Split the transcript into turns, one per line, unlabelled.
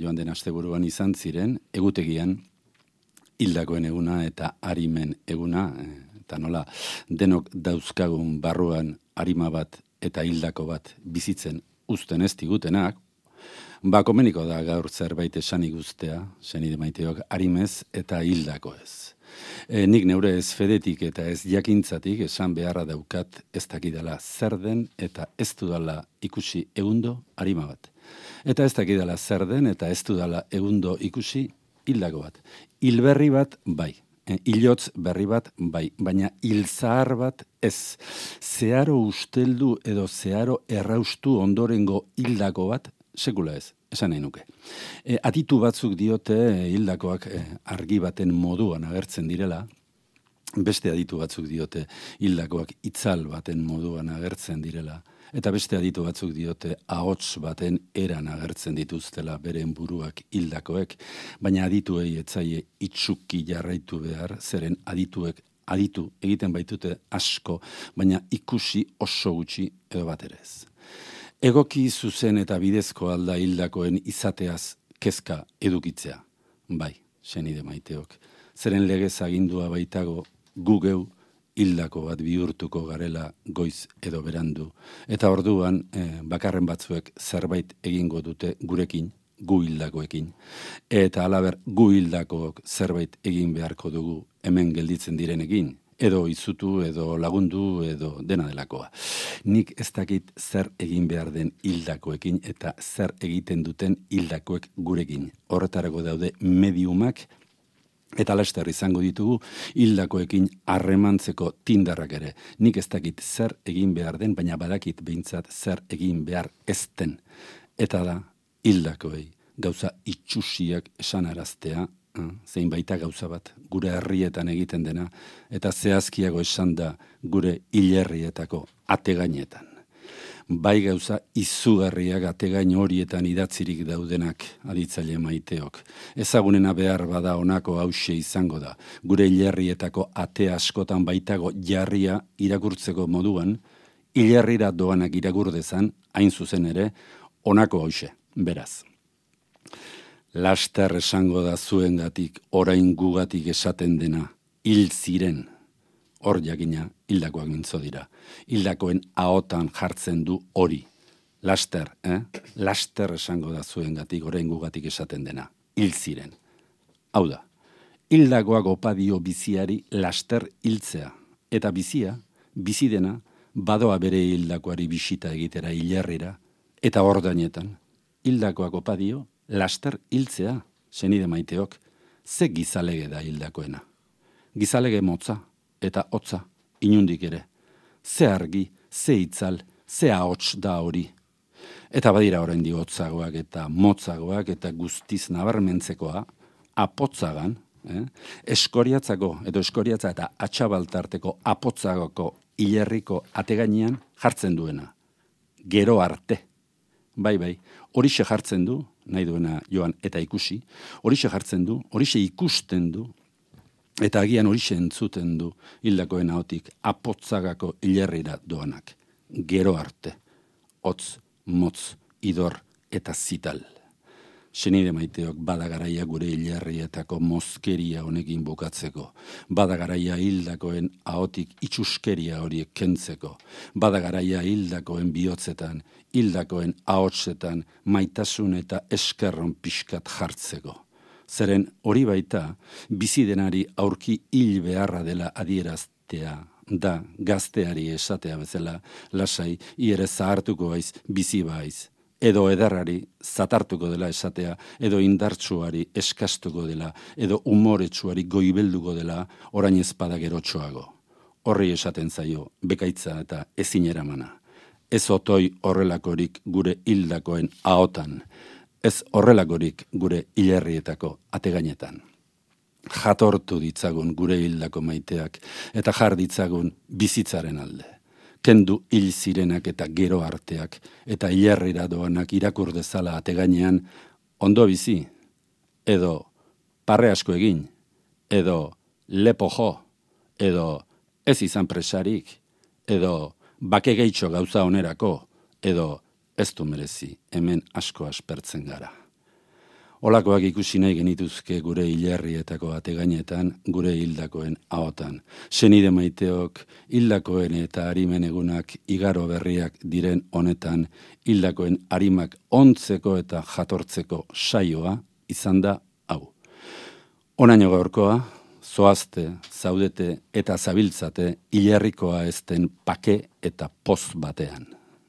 joan den asteburuan izan ziren, egutegian hildakoen eguna eta arimen eguna, eta nola denok dauzkagun barruan arima bat eta hildako bat bizitzen uzten ez digutenak, komeniko da gaur zerbait esanik guztea, senide maiteok, arimez eta hildako ez. Nik neure ez fedetik eta ez jakintzatik esan beharra daukat ez dakidala zer den eta ez dudala ikusi egundo arima bat. Eta ez dakidala zer den eta ez dudala egundo ikusi hildako bat. Hilberri bat bai. Hilotz berri bat bai, baina hilzahar bat ez. Zeharo usteldu edo zeharo erraustu ondorengo hildako bat sekula ez, esan nahi nuke. Aditu batzuk diote hildakoak argi baten moduan agertzen direla, beste aditu batzuk diote hildakoak itzal baten moduan agertzen direla, eta beste aditu batzuk diote ahots baten eran agertzen dituztela beren buruak hildakoek, baina adituei etzaie itsuki jarraitu behar, zeren adituek aditu egiten baitute asko, baina ikusi oso gutxi edo bat ere ez. Egoki zuzen eta bidezko alda hildakoen izateaz kezka edukitzea. Bai, senide maiteok. Zeren legez agindua baitago gu geu hildako bat bihurtuko garela goiz edo berandu. Eta orduan bakarren batzuek zerbait egingo dute gurekin, gu hildakoekin. Eta alaber gu hildakook zerbait egin beharko dugu hemen gelditzen direnekin. Edo izutu, edo lagundu, edo dena delakoa. Nik ez dakit zer egin behar den hildakoekin eta zer egiten duten hildakoek gurekin. Horretarako daude mediumak eta laster izango ditugu hildakoekin harremantzeko tindarrak ere. Nik ez dakit zer egin behar den, baina badakit behintzat zer egin behar ez den. Eta da hildakoei gauza itxusiak esanaraztea, zein baita gauza bat, gure herrietan egiten dena, eta zehazkiago esan da gure hilerrietako ategainetan. Bai gauza izugarriak ategain horietan idatzirik daudenak aditzaile maiteok. Ezagunena behar bada honako hauxe izango da. Gure hilerrietako ate askotan baitago jarria irakurtzeko moduan, hilerrira doanak iragurdezan, hain zuzen ere, honako hauxe, beraz. Laster esango da zuengatik, orain gugatik esaten dena, hil ziren. Hor jakina, hildakoak mintzo dira. Hildakoen ahotan jartzen du hori. Laster, Laster esango da zuengatik, orain gugatik esaten dena, hil ziren. Hau da, hildakoak opadio biziari laster hiltzea. Eta bizia, bizi dena, badoa bere hildakoari bisita egitera hilerrira, eta ordainetan, hildakoak opadio, laster hiltzea, senide maiteok, ze gizalege da hildakoena. Gizalege motza eta hotza, inundik ere. Ze argi, ze itzal, ze ahots da hori. Eta badira oraindik hotzagoak eta motzagoak eta guztiz nabarmentzekoa, apotzagan, eskoriatzako edo eskoriatza eta atxabaltarteko apotzagoko hilerriko ategainean jartzen duena. Gero arte. Bai, horixe jartzen du, nahi duena joan eta ikusi, horixe jartzen du, horixe ikusten du, eta agian horixe entzuten du hildakoen ahotik apotzagako hilerrira doanak. Gero arte, hotz, motz, idor eta zital. Senide maiteok badagaraia gure hilerrietako mozkeria honekin bukatzeko, badagaraia hildakoen ahotik itxuskeria horiek kentzeko, badagaraia hildakoen bihotzetan, hildakoen ahotsetan maitasun eta eskerron pixkat jartzeko. Zeren hori baita, bizi denari aurki hil beharra dela adieraztea, da gazteari esatea bezala, lasai, ere zahartuko baiz, bizi baiz. Edo ederrari zatartuko dela esatea, edo indartsuari eskastuko dela, edo umoretsuari goibelduko dela, orain ezpada gerotxoago. Horri esaten zaio, bekaitza eta ezin eramana. Ez otoi horrelakorik gure hildakoen ahotan, ez horrelakorik gure hilerrietako ategainetan. Jatortu ditzagun gure hildako maiteak, eta jar ditzagun bizitzaren alde. Kendu hil zirenak eta gero arteak, eta hilerrira doanak irakur dezala ategainean, ondo bizi, edo parre asko egin, edo lepo jo, edo ez izan presarik, edo bake gehitxo gauza onerako, edo ez du merezi, hemen asko aspertzen gara. Olakoak ikusi nahi genituzke gure hilerrietako ategainetan, gure hildakoen ahotan. Senide maiteok, hildakoen eta harimen egunak igaro berriak diren honetan, hildakoen harimak ontzeko eta jatortzeko saioa izan da hau. Onaino gaurkoa, zoazte, zaudete eta zabiltzate hilerrikoa ezten pake eta poz batean.